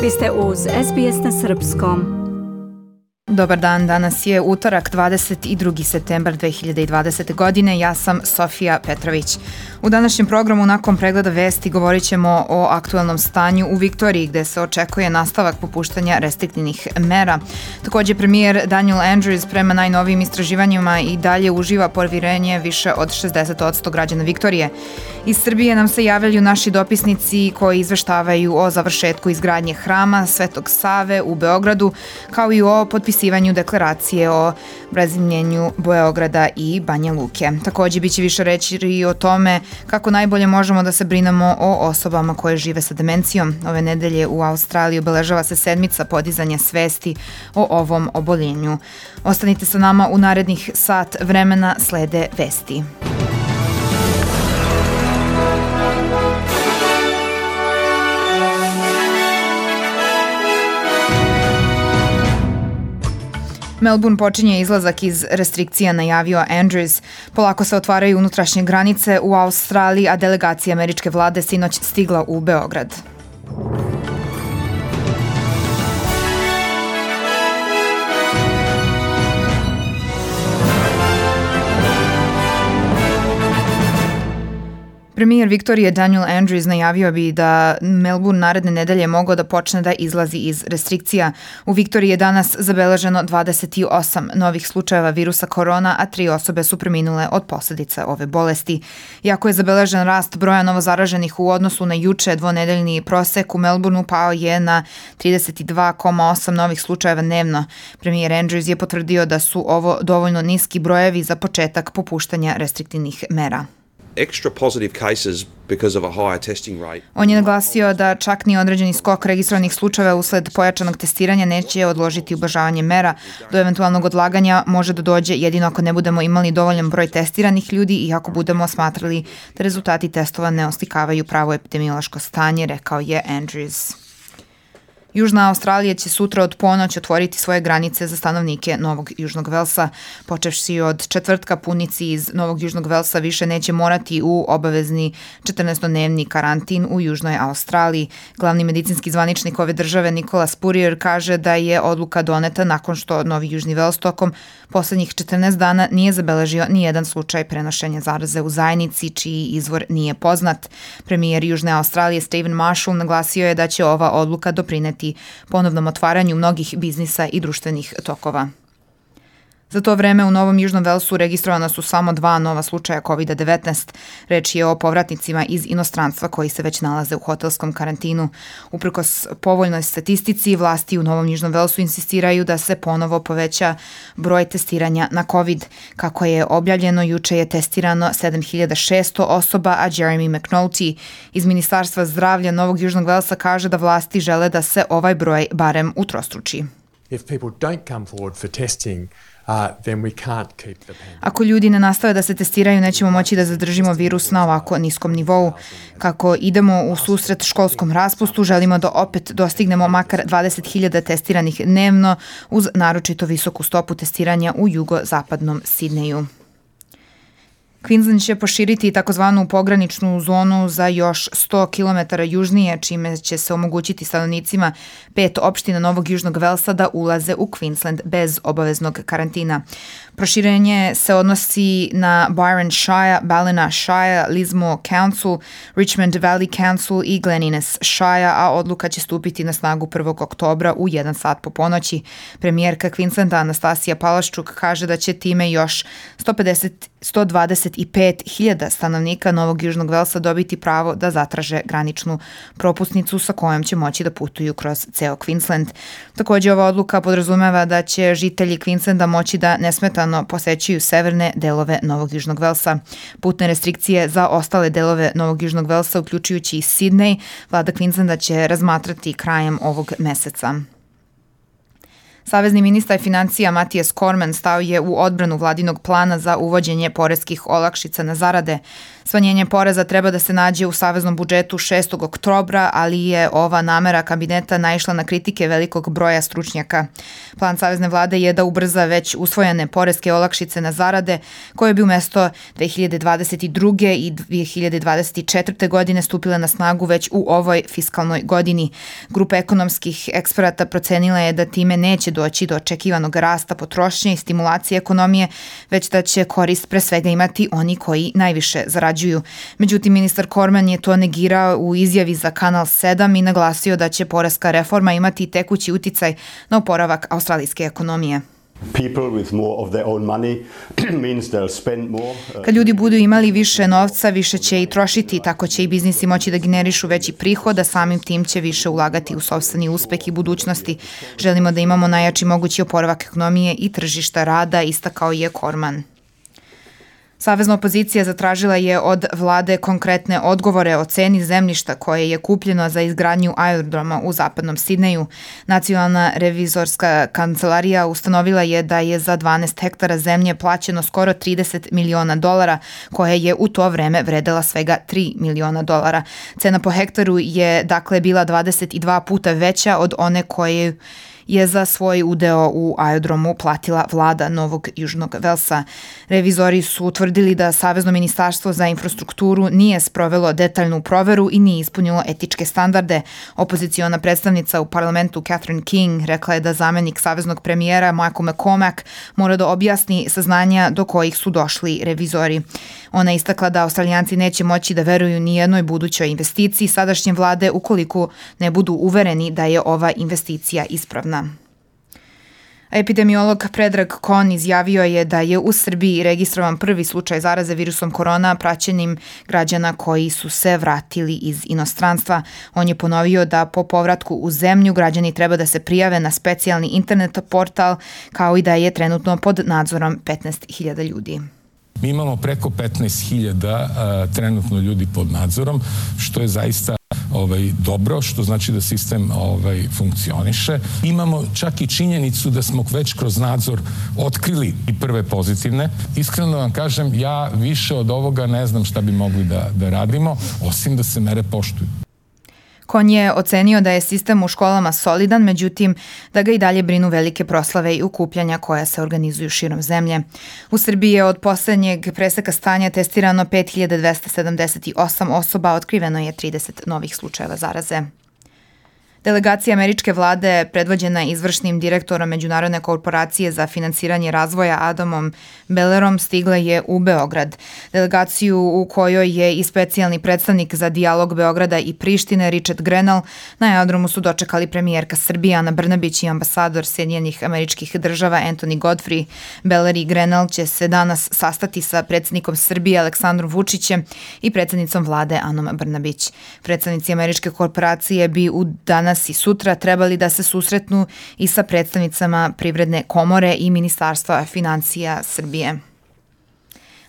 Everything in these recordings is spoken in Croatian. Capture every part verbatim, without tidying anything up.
Vi ste uz S B S na srpskom. Dobar dan, danas je utorak dvadeset drugi septembar dve hiljade dvadesete. godine. Ja sam Sofija Petrović. U današnjem programu nakon pregleda vesti govorit ćemo o aktuelnom stanju u Viktoriji gde se očekuje nastavak popuštanja restriktivnih mera. Također premijer Daniel Andrews prema najnovijim istraživanjima i dalje uživa poverenje više od šezdeset posto građana Viktorije. Iz Srbije nam se javljaju naši dopisnici koji izveštavaju o završetku izgradnje hrama Svetog Save u Beogradu, kao i o potpisivanju deklaracije o razjedinjenju Beograda i Banja Luke. Također biće više reći i o tome kako najbolje možemo da se brinemo o osobama koje žive sa demencijom. Ove nedelje u Australiji obeležava se sedmica podizanja svesti o ovom oboljenju. Ostanite sa nama u narednih sat vremena, slede vesti. Melbourne počinje izlazak iz restrikcija, najavio Andrews. Polako se otvaraju unutrašnje granice u Australiji, a delegacija američke vlade sinoć stigla u Beograd. Premijer Viktorije Daniel Andrews najavio bi da Melbourne naredne nedelje mogao da počne da izlazi iz restrikcija. U Viktoriji je danas zabeleženo dvadeset osam novih slučajeva virusa korona, a tri osobe su preminule od posljedica ove bolesti. Iako je zabeležen rast broja novozaraženih u odnosu na juče, dvonedeljni prosek u Melbourneu pao je na trideset dva zarez osam novih slučajeva dnevno. Premijer Andrews je potvrdio da su ovo dovoljno niski brojevi za početak popuštanja restriktivnih mera. Extra positive cases because of a higher testing rate. On je naglasio da čak ni određeni skok registrovanih slučajeva usled pojačanog testiranja neće odložiti ublažavanje mera. Do eventualnog odlaganja može da dođe jedino ako ne budemo imali dovoljan broj testiranih ljudi i ako budemo smatrali da rezultati testova ne oslikavaju pravo epidemiološko stanje, rekao je Andrews. Južna Australija će sutra od ponoć otvoriti svoje granice za stanovnike Novog Južnog Velsa. Počevši od četvrtka, putnici iz Novog Južnog Velsa više neće morati u obavezni četrnaestodnevni karantin u Južnoj Australiji. Glavni medicinski zvaničnik ove države Nicola Spurrier kaže da je odluka doneta nakon što Novi Južni Vels tokom poslednjih četrnaest dana nije zabeležio ni jedan slučaj prenošenja zaraze u zajednici čiji izvor nije poznat. Premijer Južne Australije Stephen Marshall naglasio je da će ova odluka doprineti ponovnom otvaranju mnogih biznisa i društvenih tokova. Za to vreme u Novom Južnom Velsu registrovana su samo dva nova slučaja kovid devetnaest. Reč je o povratnicima iz inostranstva koji se već nalaze u hotelskom karantinu. Uprkos povoljnoj statistici, vlasti u Novom Južnom Velsu insistiraju da se ponovo poveća broj testiranja na COVID. Kako je objavljeno, juče je testirano sedam hiljada šesto osoba, a Jeremy McNulty iz Ministarstva zdravlja Novog Južnog Velsa kaže da vlasti žele da se ovaj broj barem utrostruči. If people don't come forward for testing, Uh, then we can't keep the pandemic. Ako ljudi ne nastave da se testiraju, nećemo moći da zadržimo virus na ovako niskom nivou. Kako idemo u susret školskom raspustu, želimo da opet dostignemo makar dvadeset hiljada testiranih dnevno uz naročito visoku stopu testiranja u jugozapadnom Sidneju. Queensland će poširiti takozvanu pograničnu zonu za još sto kilometara južnije, čime će se omogućiti stanovnicima pet opština Novog Južnog Velsa da ulaze u Queensland bez obaveznog karantina. Proširenje se odnosi na Byron Shire, Ballina Shire, Lismore Council, Richmond Valley Council i Glen Innes Shire, a odluka će stupiti na snagu prvog oktobra u jedan sat po ponoći. Premijerka Queenslanda Anastasija Palaščuk kaže da će time još sto pedeset, sto dvadeset pet hiljada stanovnika Novog Južnog Velsa dobiti pravo da zatraže graničnu propusnicu sa kojom će moći da putuju kroz ceo Queensland. Također ova odluka podrazumeva da će žitelji Queenslanda moći da nesmetano posećuju severne delove Novog Južnog Velsa. Putne restrikcije za ostale delove Novog Južnog Velsa, uključujući i Sidney, vlada Queenslanda će razmatrati krajem ovog meseca. Savezni ministar financija Matijas Cormann stao je u odbranu vladinog plana za uvođenje poreskih olakšica na zarade. Smanjenje poreza treba da se nađe u saveznom budžetu šestog oktobra, ali je ova namera kabineta naišla na kritike velikog broja stručnjaka. Plan savezne vlade je da ubrza već usvojene poreske olakšice na zarade, koje bi umesto dve hiljade dvadeset druge. i dve hiljade dvadeset četvrte. godine stupile na snagu već u ovoj fiskalnoj godini. Grupa ekonomskih eksperata procenila je da time neće doći do očekivanog rasta potrošnje i stimulacije ekonomije, već da će korist pre svega imati oni koji najviše zarađuju. Međutim, ministar Cormann je to negirao u izjavi za Kanal sedam i naglasio da će poreska reforma imati tekući uticaj na oporavak australijske ekonomije. Kad ljudi budu imali više novca, više će i trošiti, tako će i biznisi moći da generišu veći prihod, a samim tim će više ulagati u sopstveni uspeh i budućnosti. Želimo da imamo najjači mogući oporavak ekonomije i tržišta rada, istakao je Cormann. Savezna opozicija zatražila je od vlade konkretne odgovore o ceni zemljišta koje je kupljeno za izgradnju aerodroma u zapadnom Sidneju. Nacionalna revizorska kancelarija ustanovila je da je za dvanaest hektara zemlje plaćeno skoro trideset miliona dolara, koja je u to vreme vredela svega tri miliona dolara. Cena po hektaru je dakle bila dvadeset dva puta veća od one koje je za svoj udeo u aerodromu platila vlada Novog Južnog Velsa. Revizori su utvrdili da Savezno ministarstvo za infrastrukturu nije sprovelo detaljnu proveru i nije ispunilo etičke standarde. Opoziciona predstavnica u parlamentu Catherine King rekla je da zamenik saveznog premijera Michael McCormack mora da objasni saznanja do kojih su došli revizori. Ona je istakla da Australijanci neće moći da veruju ni jednoj budućoj investiciji sadašnje vlade ukoliko ne budu uvereni da je ova investicija ispravna. Epidemiolog Predrag Kon izjavio je da je u Srbiji registrovan prvi slučaj zaraze virusom korona praćenim građana koji su se vratili iz inostranstva. On je ponovio da po povratku u zemlju građani treba da se prijave na specijalni internet portal, kao i da je trenutno pod nadzorom petnaest hiljada ljudi. Mi imamo preko petnaest hiljada trenutno ljudi pod nadzorom, što je zaista ovaj, dobro, što znači da sistem ovaj, funkcioniše. Imamo čak i činjenicu da smo već kroz nadzor otkrili i prve pozitivne. Iskreno vam kažem, ja više od ovoga ne znam šta bi mogli da, da radimo, osim da se mere poštuju. Kon je ocenio da je sistem u školama solidan, međutim da ga i dalje brinu velike proslave i okupljanja koja se organizuju širom zemlje. U Srbiji je od poslednjeg preseka stanja testirano pet hiljada dvesta sedamdeset osam osoba, otkriveno je trideset novih slučajeva zaraze. Delegacija američke vlade, predvođena izvršnim direktorom Međunarodne korporacije za finansiranje razvoja Adamom Bellerom, stigla je u Beograd. Delegaciju u kojoj je i specijalni predstavnik za dijalog Beograda i Prištine Richard Grenell, na aerodromu su dočekali premijerka Srbije Ana Brnabić i ambasador Sjedinjenih Američkih Država Anthony Godfrey. Beller i Grenell će se danas sastati sa predsjednikom Srbije Aleksandrom Vučićem i predsjednicom vlade Anom Brnabić. Predstavnici američke korporacije bi u danas i sutra trebali da se susretnu i sa predstavnicama Privredne komore i Ministarstva financija Srbije.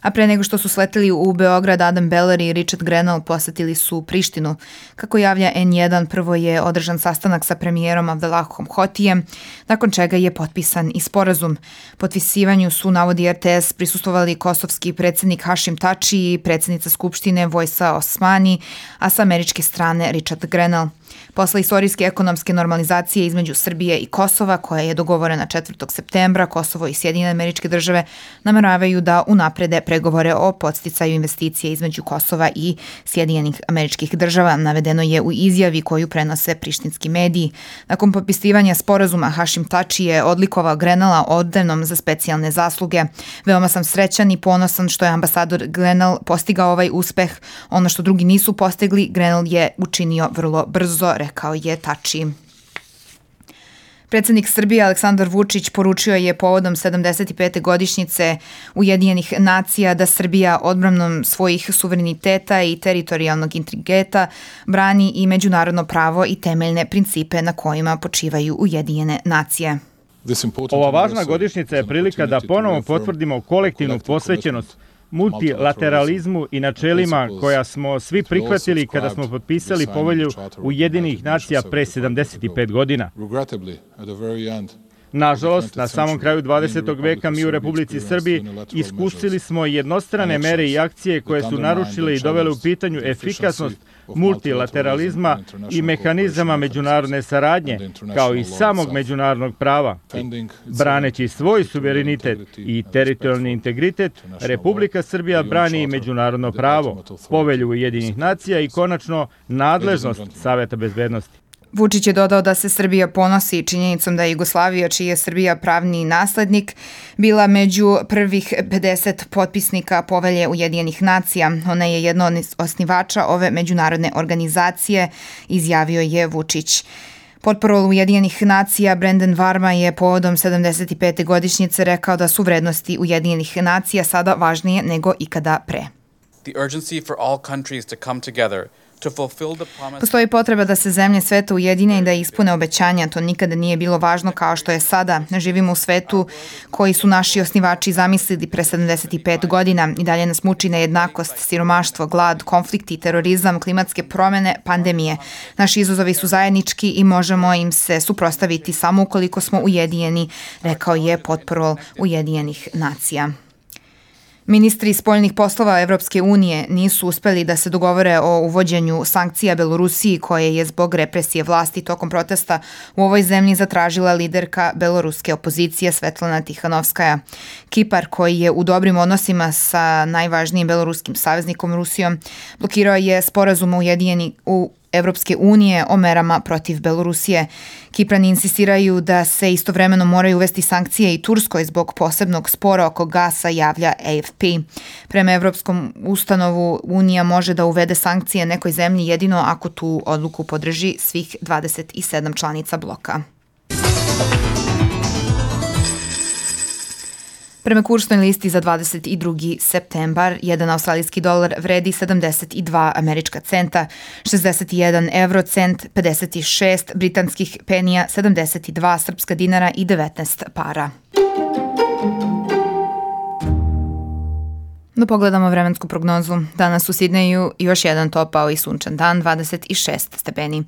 A pre nego što su sleteli u Beograd, Adam Beller i Richard Grenell posetili su Prištinu. Kako javlja en jedan, prvo je održan sastanak sa premijerom Abdelahom Hotijem, nakon čega je potpisan i sporazum. Potpisivanju su, navodi er te es, prisustvovali kosovski predsjednik Hašim Tači i predsjednica Skupštine Vojsa Osmani, a sa američke strane Richard Grenell. Posle istorijske ekonomske normalizacije između Srbije i Kosova, koja je dogovorena četvrtog septembra, Kosovo i Sjedinjene Američke Države nameravaju da unaprede pregovore o podsticaju investicije između Kosova i Sjedinjenih Američkih Država, navedeno je u izjavi koju prenose prištinski mediji. Nakon potpisivanja sporazuma, Hašim Tači je odlikovao Grenella ordenom za specijalne zasluge. Veoma sam srećan i ponosan što je ambasador Grenell postigao ovaj uspeh. Ono što drugi nisu postigli, Grenell je učinio vrlo brzo, rekao je Tači. Predsjednik Srbije Aleksandar Vučić poručio je povodom sedamdeset pete godišnjice Ujedinjenih nacija da Srbija odbranom svojih suvereniteta i teritorijalnog integriteta brani i međunarodno pravo i temeljne principe na kojima počivaju Ujedinjene nacije. Ova važna godišnjica je prilika da ponovo potvrdimo kolektivnu posvećenost multilateralizmu i načelima koja smo svi prihvatili kada smo potpisali povelju Ujedinjenih nacija pre sedamdeset pet godina. Nažalost, na samom kraju dvadesetog veka mi u Republici Srbiji iskusili smo jednostrane mere i akcije koje su narušile i dovele u pitanju efikasnost multilateralizma i mehanizama međunarodne saradnje, kao i samog međunarodnog prava. Braneći svoj suverenitet i teritorijalni integritet, Republika Srbija brani i međunarodno pravo, Povelju Ujedinjenih nacija i konačno nadležnost Saveta bezbednosti. Vučić je dodao da se Srbija ponosi činjenicom da je Jugoslavija, čiji je Srbija pravni naslednik, bila među prvih pedeset potpisnika Povelje Ujedinjenih nacija. Ona je jedna od osnivača ove međunarodne organizacije, izjavio je Vučić. Potparol Ujedinjenih nacija Brendan Varma je povodom sedamdeset pete godišnjice rekao da su vrednosti Ujedinjenih nacija sada važnije nego ikada pre. The urgency for all countries to come together. Postoji potreba da se zemlje sveta ujedine i da ispune obećanja. To nikada nije bilo važno kao što je sada. Živimo u svetu koji su naši osnivači zamislili pre sedamdeset pet godina i dalje nas muči nejednakost, siromaštvo, glad, konflikti, terorizam, klimatske promene, pandemije. Naši izazovi su zajednički i možemo im se suprotstaviti samo ukoliko smo ujedinjeni, rekao je potparol Ujedinjenih nacija. Ministri spoljnih poslova Evropske unije nisu uspeli da se dogovore o uvođenju sankcija Belorusiji koje je zbog represije vlasti tokom protesta u ovoj zemlji zatražila liderka beloruske opozicije Svetlana Tihanovskaja. Kipar, koji je u dobrim odnosima sa najvažnijim beloruskim saveznikom Rusijom, blokirao je sporazum ujedinjeni u Evropske unije o merama protiv Belorusije. Kiprani insistiraju da se istovremeno moraju uvesti sankcije i Turskoj zbog posebnog spora oko gasa, javlja A F P. Prema Evropskom ustanovu, Unija može da uvede sankcije nekoj zemlji jedino ako tu odluku podrži svih dvadeset sedam članica bloka. Prema kursnoj listi za dvadeset drugi septembar, jedan australijski dolar vredi sedamdeset dva američka centa, šezdeset jedan evro cent, pedeset šest britanskih penija, sedamdeset dva srpska dinara i devetnaest para. Da pogledamo vremensku prognozu. Danas u Sidneju još jedan topao i sunčan dan, dvadeset šest stepeni.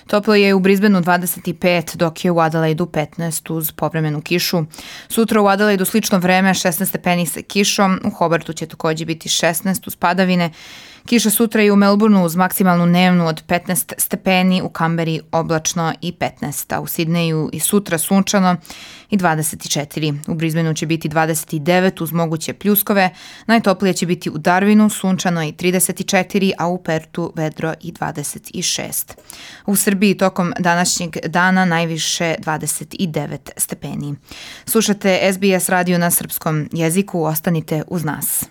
Toplo je u Brisbaneu dvadeset pet, dok je u Adelaidu petnaest uz povremenu kišu. Sutra u Adelaidu slično vreme, šesnaest stepeni sa kišom, u Hobartu će takođe biti šesnaest uz padavine. Kiša sutra i u Melbourneu uz maksimalnu dnevnu od petnaest stepeni, u Kamberi oblačno i petnaest, a u Sidneju i sutra sunčano i dvadeset četiri. U Brisbaneu će biti dvadeset devet uz moguće pljuskove, najtoplije će biti u Darwinu, sunčano i trideset četiri, a u Pertu vedro i dvadeset šest. U Srbiji tokom današnjeg dana najviše dvadeset devet stepeni. Slušate S B S radio na srpskom jeziku, ostanite uz nas.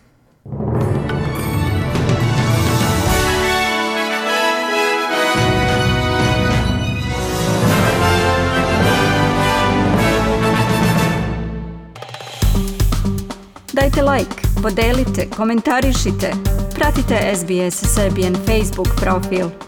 Dajte like, podelite, komentarišite. Pratite S B S Serbian Facebook profil.